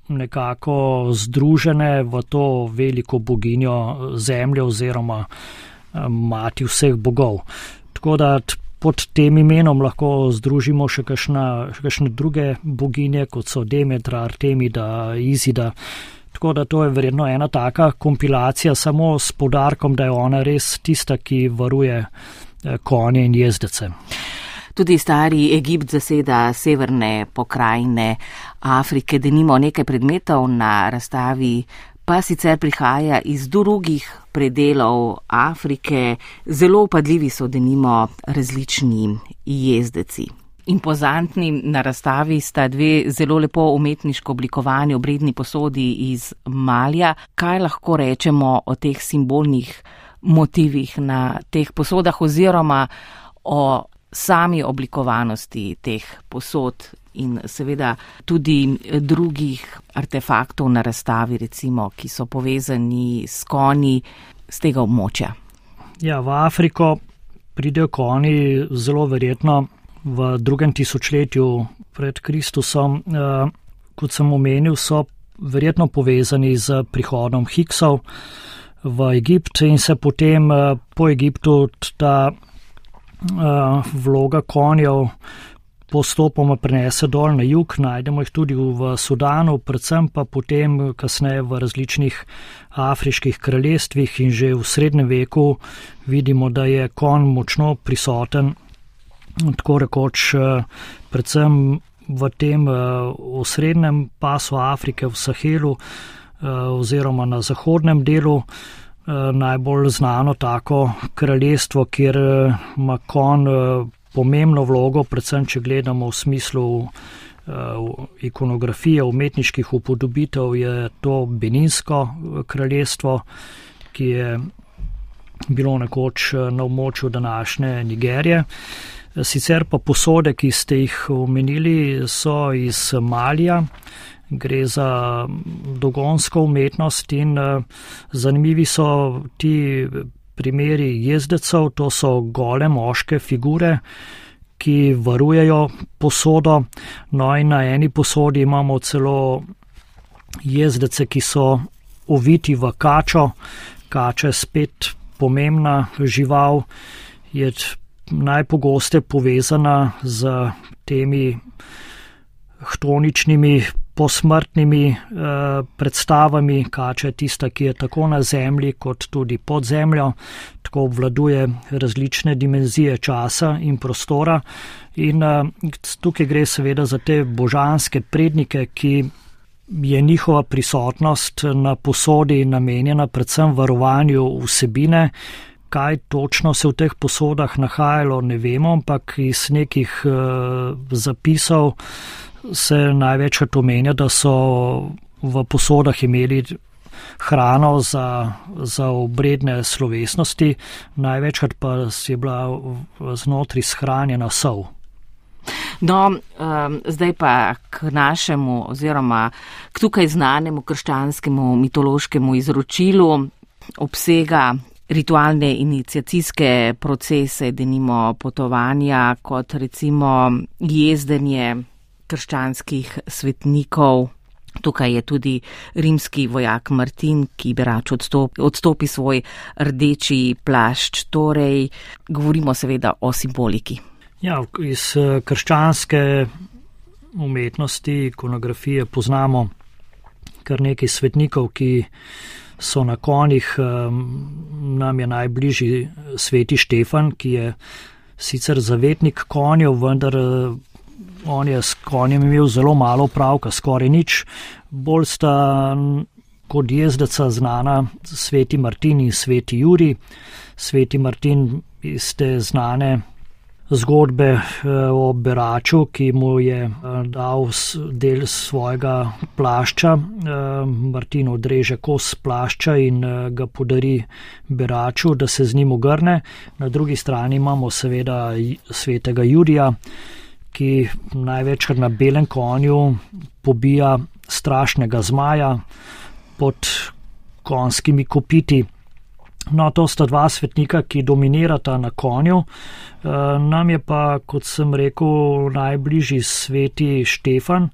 nekako združene v to veliko boginjo zemlje oziroma mati vseh bogov. Tako da pod tem imenom lahko združimo še kakšne druge boginje, kot so Demetra, Artemida, Izida. Tako da to je verjetno ena taka kompilacija, samo s poudarkom, da je ona res tista, ki varuje konje in jezdece. Tudi stari Egipt zaseda severne pokrajine Afrike, denimo nekaj predmetov na razstavi pa sicer prihaja iz drugih predelov Afrike, zelo upadljivi so denimo različni jezdeci. Impozantni na razstavi sta dve zelo lepo umetniško oblikovani obredni posodi iz Malija. Kaj lahko rečemo o teh simbolnih motivih na teh posodah oziroma o sami oblikovanosti teh posod in seveda tudi drugih artefaktov na razstavi, recimo, ki so povezani s konji z tega območja? Ja, v Afriko pridejo konji zelo verjetno v 2. tisočletju pred Kristusom. Kot sem omenil, so verjetno povezani z prihodom Hiksov v Egipt in se potem po Egiptu ta vloga konjev postopoma prenese dol na jug, najdemo jih tudi v Sudanu, predvsem pa potem kasneje v različnih afriških kraljestvih in že v srednjem veku vidimo, da je konj močno prisoten, tako rekoč predvsem v tem osrednjem pasu Afrike, v Sahelu oziroma na zahodnem delu. Najbolj znano tako kraljestvo, kjer ima konj pomembno vlogo, predvsem če gledamo v smislu ikonografije, umetniških upodobitev, je to Beninsko kraljestvo, ki je bilo nekoč na območju današnje Nigerije. Sicer pa posode, ki ste jih omenili, so iz Malija. Gre za dogonsko umetnost in zanimivi so ti primeri jezdecev, to so gole moške figure, ki varujejo posodo. No in na eni posodi imamo celo jezdece, ki so oviti v kačo. Kača je spet pomembna žival, je najpogosteje povezana z temi htoničnimi posmrtnimi predstavami. Kača je tista, ki je tako na zemlji kot tudi pod zemljo, tako obvladuje različne dimenzije časa in prostora in tukaj gre seveda za te božanske prednike, ki je njihova prisotnost na posodi namenjena predvsem varovanju vsebine. Kaj točno se v teh posodah nahajalo, ne vemo, ampak iz nekih zapisov se največkrat omenja, da so v posodah imeli hrano za obredne slovesnosti, največkrat pa je bila znotri shranjena sol. No, zdaj pa k našemu oziroma k tukaj znanemu krščanskemu mitološkemu izročilu obsega ritualne iniciacijske procese, denimo potovanja, kot recimo jezdenje krščanskih svetnikov. Tukaj je tudi rimski vojak Martin, ki bi rač odstopi svoj rdeči plašč. Torej, govorimo seveda o simboliki. Ja, iz krščanske umetnosti, ikonografije poznamo kar nekaj svetnikov, ki so na konjih. Nam je najbližji sveti Štefan, ki je sicer zavetnik konjev, vendar on je s konjem imel zelo malo opravka, skoraj nič. Bolj sta kot jezdeca znana sveti Martin in sveti Jurij. Sveti Martin iz te znane zgodbe o beraču, ki mu je dal del svojega plašča. Martin odreže kos plašča in ga podari beraču, da se z njim ogrne. Na drugi strani imamo seveda svetega Jurija, ki največkrat na belem konju pobija strašnega zmaja pod konjskimi kopiti. No, to sta dva svetnika, ki dominirata na konju. Nam je pa, kot sem rekel, najbližji sveti Štefan,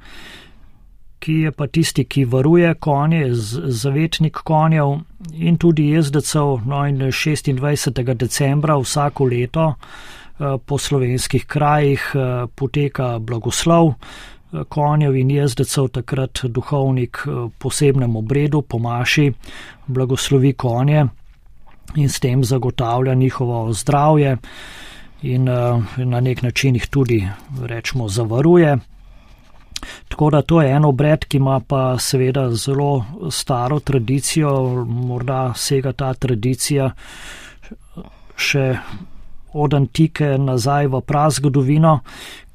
ki je pa tisti, ki varuje konje, zavetnik konjev in tudi jezdecev. No, in 26. decembra vsako leto po slovenskih krajih poteka blagoslov konjev in jezdecev. Takrat duhovnik posebnem obredu po maši blagoslovi konje in s tem zagotavlja njihovo zdravje in na nek način jih tudi, rečemo, zavaruje. Tako da to je en obred, ki ima pa seveda zelo staro tradicijo, morda sega ta tradicija še od antike nazaj v prazgodovino,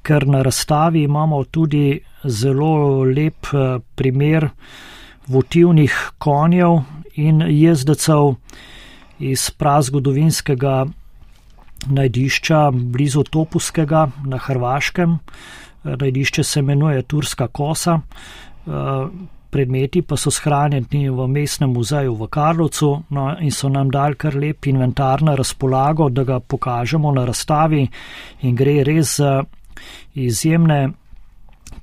ker na razstavi imamo tudi zelo lep primer votivnih konjev in jezdecev iz prazgodovinskega najdišča blizu Topuskega na Hrvaškem. Najdišče se imenuje Turska kosa. Predmeti pa so shranjeni v mestnem muzeju v Karlovcu, no, in so nam dali kar lep inventar na razpolago, da ga pokažemo na razstavi, in gre res za izjemne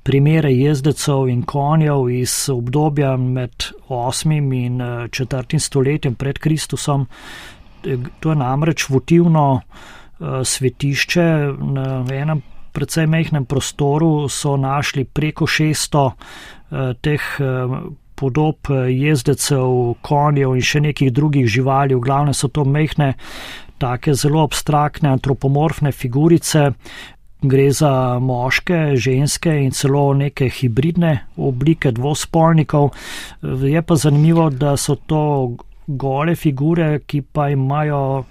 primere jezdecev in konjev iz obdobja med 8. in 4. stoletjem pred Kristusom. To je namreč votivno svetišče. Na enem precej majhnem prostoru so našli preko 600 teh podob jezdecev, konjev in še nekih drugih živali. V glavnem so to majhne, take zelo abstraktne, antropomorfne figurice. Gre za moške, ženske in celo neke hibridne oblike dvospolnikov. Je pa zanimivo, da so to gole figure, ki pa imajo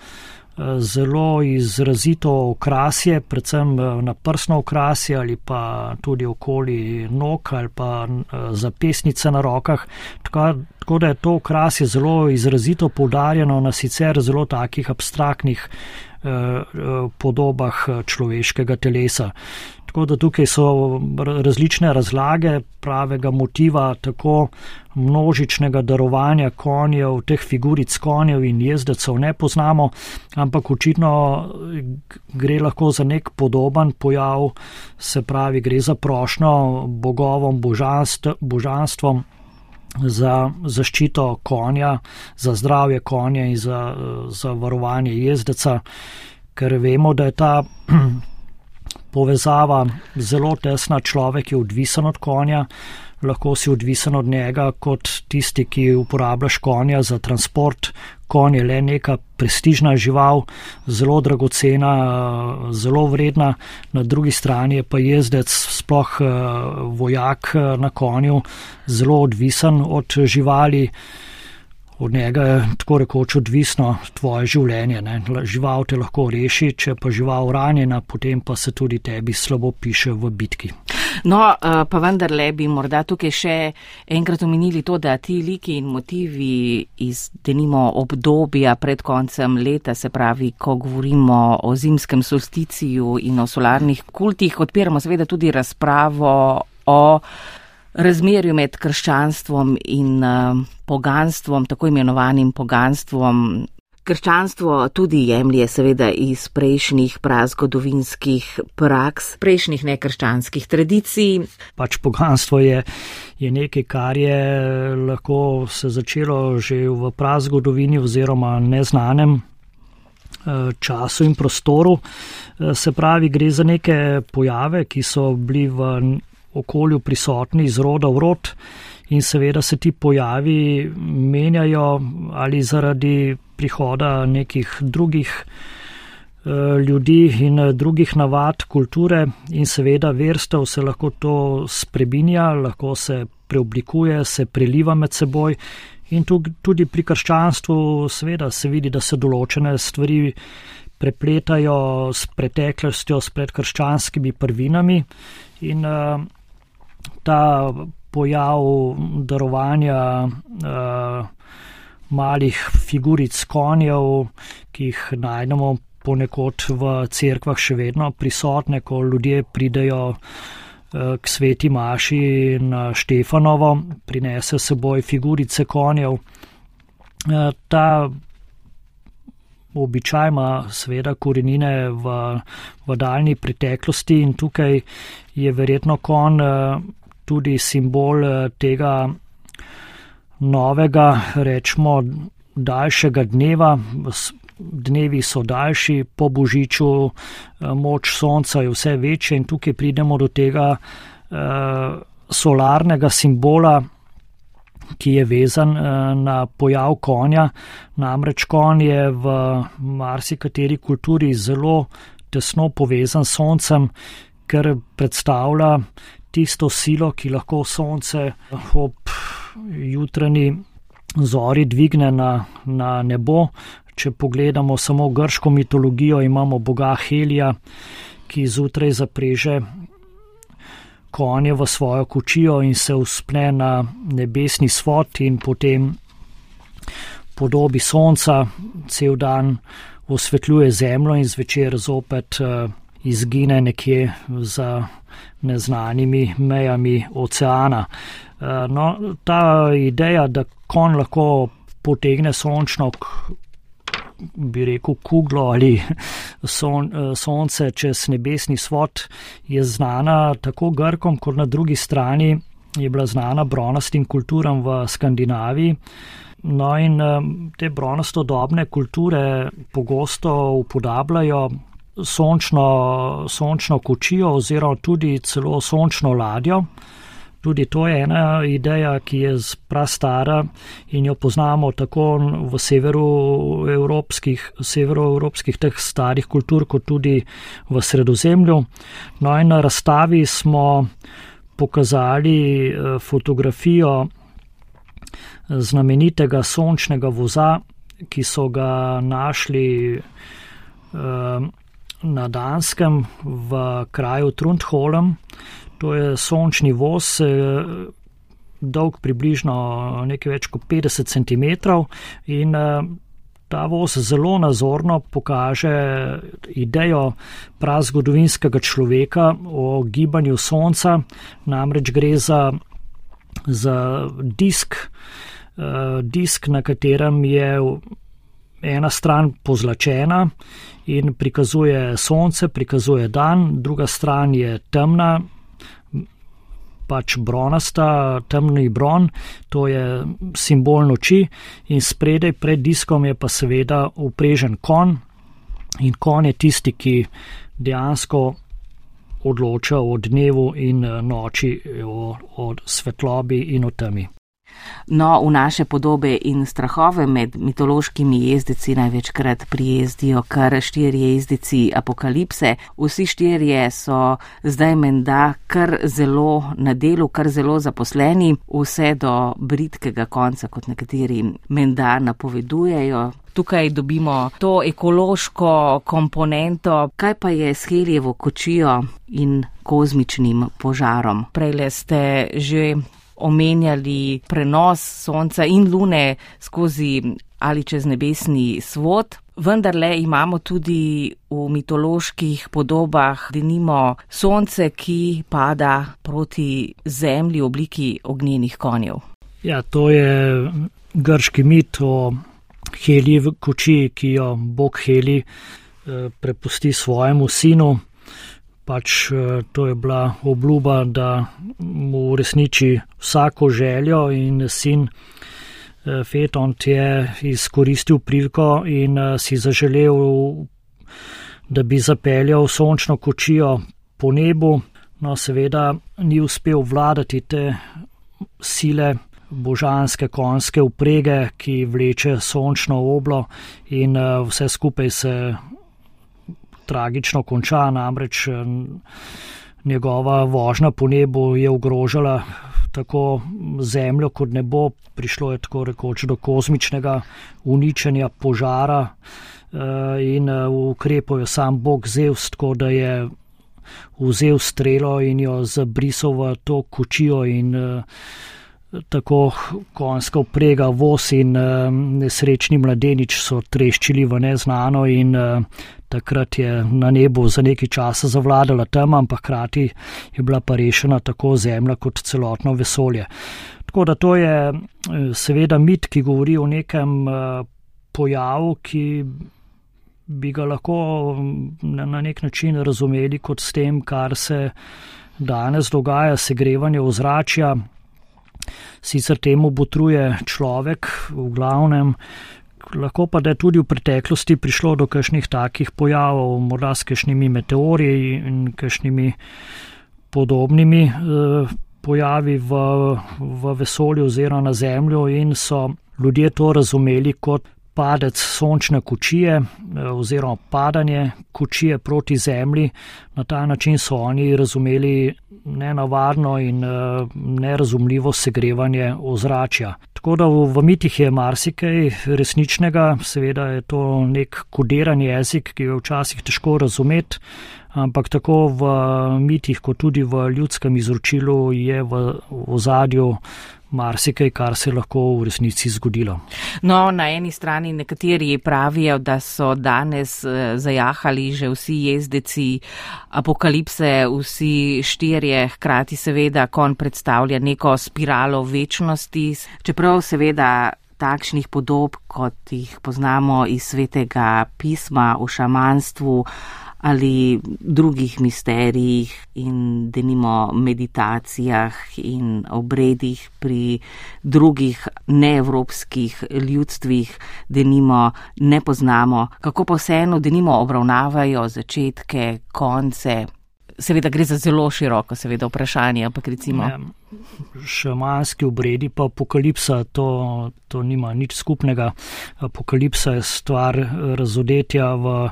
zelo izrazito okrasje, predvsem na prsno okrasje ali pa tudi okoli nog ali pa zapestnice na rokah. Tako da je to okrasje zelo izrazito poudarjeno na sicer zelo takih abstraktnih podobah človeškega telesa. Tako da tukaj so različne razlage pravega motiva, tako množičnega darovanja konjev, teh figuric konjev in jezdecev ne poznamo, ampak očitno gre lahko za nek podoben pojav, se pravi, gre za prošnjo bogovom, božanstvom za zaščito konja, za zdravje konja in za varovanje jezdeca, ker vemo, da je ta povezava zelo tesna. Človek je odvisen od konja, lahko si odvisen od njega kot tisti, ki uporabljaš konja za transport. Konj je le neka prestižna žival, zelo dragocena, zelo vredna. Na drugi strani je pa jezdec, sploh vojak na konju, zelo odvisen od živali. Od njega je tako rekoč odvisno tvoje življenje. Ne? Žival te lahko reši, če pa žival ranjena, potem pa se tudi tebi slabo piše v bitki. No, pa vendarle bi morda tukaj še enkrat omenili to, da ti liki in motivi iz denimo obdobja pred koncem leta, se pravi, ko govorimo o zimskem solsticiju in o solarnih kultih, odpiramo seveda tudi razpravo o razmerju med krščanstvom in poganstvom, tako imenovanim poganstvom. Krščanstvo tudi jemlje seveda iz prejšnjih prazgodovinskih praks, prejšnjih nekrščanskih tradicij. Pač poganstvo je nekaj, kar je lahko se začelo že v prazgodovini oziroma neznanem času in prostoru. Se pravi, gre za neke pojave, ki so bili v okolju prisotni iz roda v rod in seveda se ti pojavi menjajo ali zaradi prihoda nekih drugih ljudi in drugih navad, kulture in seveda verstev se lahko to spreminja, lahko se preoblikuje, se preliva med seboj in tudi pri krščanstvu seveda se vidi, da se določene stvari prepletajo s preteklostjo, s predkrščanskimi prvinami in ta pojav darovanja malih figuric konjev, ki jih najdemo ponekod v cerkvah še vedno prisotne, ko ljudje pridejo k sveti maši na Štefanovo, prinese seboj figurice konjev. Ta običaj ima seveda korenine v daljni preteklosti in tukaj je verjetno konj tudi simbol tega novega, rečemo, daljšega dneva. Dnevi so daljši, po božiču moč sonca je vse večja in tukaj pridemo do tega solarnega simbola, ki je vezan na pojav konja. Namreč konj je v marsikateri kulturi zelo tesno povezan s soncem, ker predstavlja tisto silo, ki lahko sonce ob jutranji zori dvigne na nebo. Če pogledamo samo grško mitologijo, imamo boga Helija, ki zjutraj zapreže konje v svojo kočijo in se vzpne na nebesni svod in potem podobi sonca cel dan osvetljuje zemljo in zvečer zopet izgine nekje za neznanimi mejami oceana. No, ta ideja, da konj lahko potegne sončno bi rekel kuglo ali sonce čez nebesni svod, je znana tako Grkom, kot na drugi strani je bila znana bronastim kulturam v Skandinaviji. No in te bronastodobne kulture pogosto upodabljajo sončno kočijo oziroma tudi celo sončno ladjo. Tudi to je ena ideja, ki je prastara in jo poznamo tako v severoevropskih teh starih kultur, kot tudi v Sredozemlju. No in na razstavi smo pokazali fotografijo znamenitega sončnega voza, ki so ga našli na Danskem v kraju Trundholm. To je sončni voz, dolg približno nekaj več kot 50 cm in ta voz zelo nazorno pokaže idejo prazgodovinskega človeka o gibanju sonca. Namreč gre za disk, na katerem je ena stran pozlačena in prikazuje sonce, prikazuje dan, druga stran je temna, pač bronasta, temni bron, to je simbol noči in spredaj pred diskom je pa seveda uprežen konj in konj je tisti, ki dejansko odloča o dnevu in noči, o svetlobi in o temi. No, v naše podobe in strahove med mitološkimi jezdeci največkrat prijezdijo kar 4 jezdeci apokalipse. Vsi 4 so zdaj menda kar zelo na delu, kar zelo zaposleni, vse do bridkega konca, kot nekateri menda napovedujejo. Tukaj dobimo to ekološko komponento. Kaj pa je s Helijevo kočijo in kozmičnim požarom? Prejle ste že omenjali prenos sonca in lune skozi ali čez nebesni svod, vendarle imamo tudi v mitoloških podobah denimo sonce, ki pada proti zemlji v obliki ognjenih konjev. Ja, to je grški mit o Helijevi kočiji, ki jo bog Helij prepusti svojemu sinu. Pač to je bila obljuba, da mu uresniči vsako željo in sin Fetont je izkoristil priliko in si zaželel, da bi zapeljal sončno kočijo po nebu. No, seveda ni uspel vladati te sile, božanske konjske vprege, ki vleče sončno oblo in vse skupaj se tragično konča, namreč njegova vožnja po nebu je ogrožala tako zemljo kot nebo, prišlo je tako rekoč do kozmičnega uničenja, požara in ukrepal je sam bog Zevs, tako da je vzel strelo in jo zabrisal v to kočijo in tako konjska vprega, voz in nesrečni mladenič so treščili v neznano in takrat je na nebu za nekaj časa zavladala tema, ampak hkrati je bila pa rešena tako zemlja kot celotno vesolje. Tako da to je seveda mit, ki govori o nekem pojavu, ki bi ga lahko na nek način razumeli kot s tem, kar se danes dogaja, segrevanje ozračja. Sicer temu botruje človek v glavnem, lahko pa da je tudi v preteklosti prišlo do kakšnih takih pojavov, morda s kakšnimi meteori in kakšnimi podobnimi pojavi v vesolju oziroma na Zemljo in so ljudje to razumeli kot padec sončne kočije oziroma padanje kočije proti Zemlji. Na ta način so oni razumeli nenavadno in nerazumljivo segrevanje ozračja. Tako da v mitih je marsikaj resničnega, seveda je to nek kodiran jezik, ki je včasih težko razumeti, ampak tako v mitih kot tudi v ljudskem izročilu je v ozadju marsikaj, kar se lahko v resnici zgodilo. No, na eni strani nekateri pravijo, da so danes zajahali že vsi jezdeci apokalipse, vsi štirje, hkrati seveda konj predstavlja neko spiralo večnosti, čeprav seveda takšnih podob, kot jih poznamo iz Svetega pisma o šamanstvu ali drugih misterijih in denimo meditacijah in obredih pri drugih neevropskih ljudstvih denimo ne poznamo, kako pa vseeno denimo obravnavajo začetke, konce. Seveda gre za zelo široko seveda vprašanje, ampak recimo. Šamanski obredi pa apokalipsa, to nima nič skupnega. Apokalipsa je stvar razodetja v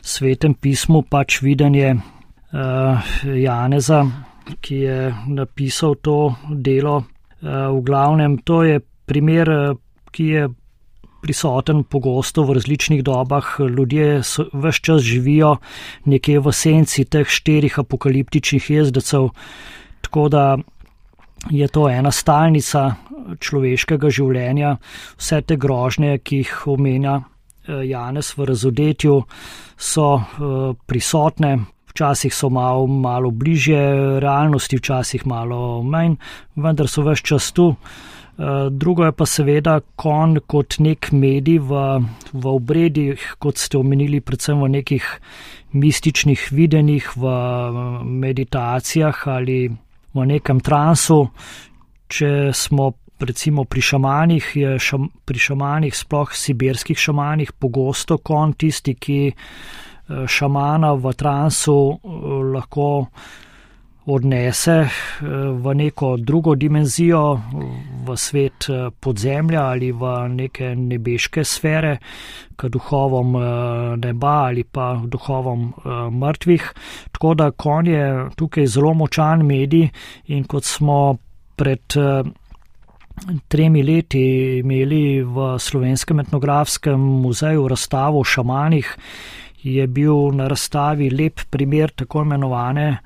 Svetem pismu, pač videnje Janeza, ki je napisal to delo. V glavnem to je primer, ki je prisoten pogosto v različnih dobah. Ljudje ves čas živijo nekje v senci teh štirih apokaliptičnih jezdecev, tako da je to ena stalnica človeškega življenja. Vse te grožnje, ki jih omenja Janez v razodetju, so prisotne. Včasih so malo bližje realnosti, včasih malo manj, vendar so ves čas tu. Drugo je pa seveda konj kot nek medij v obredih, kot ste omenili, predvsem v nekih mističnih videnjih, v meditacijah ali v nekem transu. Če smo recimo pri šamanih, je pri šamanih, sploh sibirskih šamanih, pogosto konj tisti, ki šamana v transu lahko odnese v neko drugo dimenzijo, v svet podzemlja ali v neke nebeške sfere, k duhovom neba ali pa duhovom mrtvih. Tako da konj je tukaj zelo močan medij in kot smo pred 3 leti imeli v Slovenskem etnografskem muzeju razstavo o šamanih, je bil na razstavi lep primer tako imenovane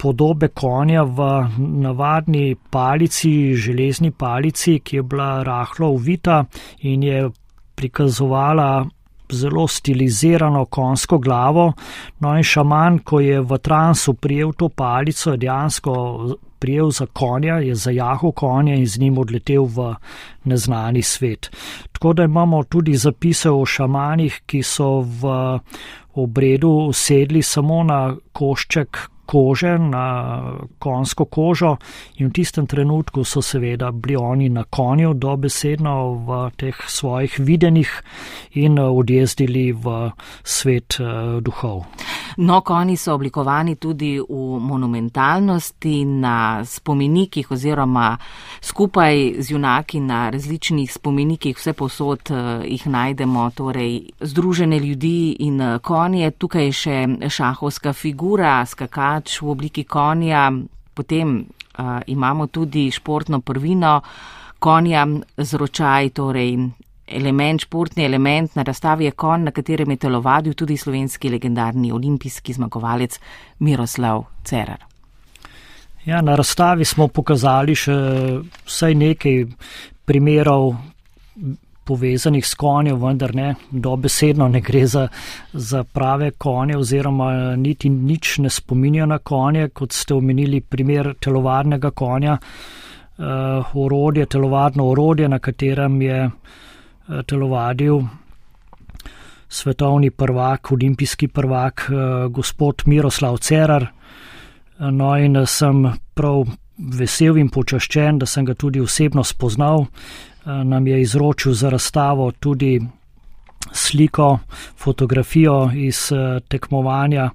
podobe konja v navadni palici, železni palici, ki je bila rahlo ovita in je prikazovala zelo stilizirano konjsko glavo. No in šaman, ko je v transu prijel to palico, je dejansko prijel za konja, je zajahal konja in z njim odletel v neznani svet. Tako da imamo tudi zapise o šamanih, ki so v obredu sedli samo na košček kože, na konjsko kožo in v tistem trenutku so seveda bili oni na konju dobesedno v teh svojih videnjih in odjezdili v svet duhov. No, konji so oblikovani tudi v monumentalnosti, na spomenikih oziroma skupaj z junaki na različnih spomenikih, vse posod jih najdemo, torej združene ljudi in konje. Tukaj je še šahovska figura, skakač v obliki konja, potem imamo tudi športno prvino konja z ročaj, torej športni element. Na razstavi je konj, na katerem je telovadil tudi slovenski legendarni olimpijski zmagovalec Miroslav Cerar. Ja, na razstavi smo pokazali še vsaj nekaj primerov povezanih s konjem, vendar ne, dobesedno ne gre za prave konje oziroma niti nič ne spominja na konje, kot ste omenili primer telovadnega konja, telovadno orodje, na katerem je telovadil svetovni prvak, olimpijski prvak, gospod Miroslav Cerar. No in sem prav vesel in počaščen, da sem ga tudi osebno spoznal. Nam je izročil za razstavo tudi sliko, fotografijo iz tekmovanja,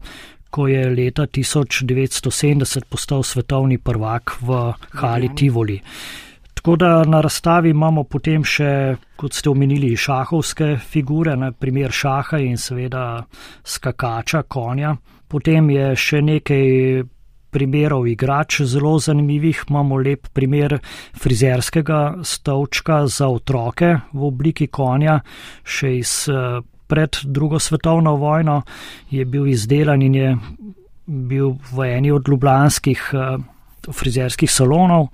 ko je leta 1970 postal svetovni prvak v hali Tivoli. Tako da na razstavi imamo potem še, kot ste omenili, šahovske figure, na primer šaha in seveda skakača, konja. Potem je še nekaj primerov igrač zelo zanimivih. Imamo lep primer frizerskega stolčka za otroke v obliki konja, še iz pred drugo svetovno vojno je bil izdelan in je bil v eni od ljubljanskih frizerskih salonov.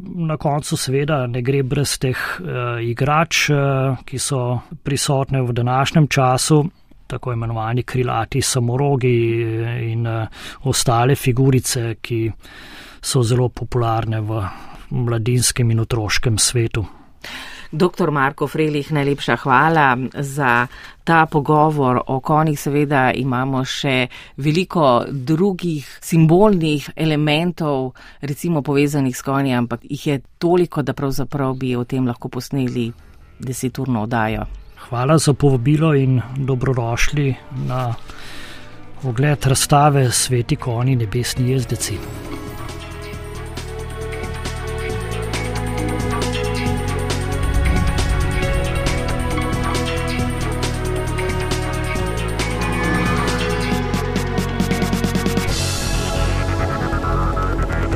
Na koncu seveda ne gre brez teh igrač, ki so prisotne v današnjem času, tako imenovani krilati samorogi in ostale figurice, ki so zelo popularne v mladinskem in otroškem svetu. Dr. Marko Frelih, najlepša hvala za ta pogovor o konjih. Seveda imamo še veliko drugih simbolnih elementov, recimo povezanih s konji, ampak jih je toliko, da pravzaprav bi o tem lahko posneli 10-urno oddajo. Hvala za povabilo in dobrodošli na ogled razstave Sveti konji, nebesni jezdeci.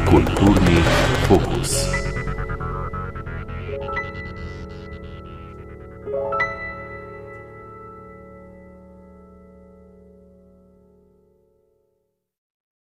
Kultura.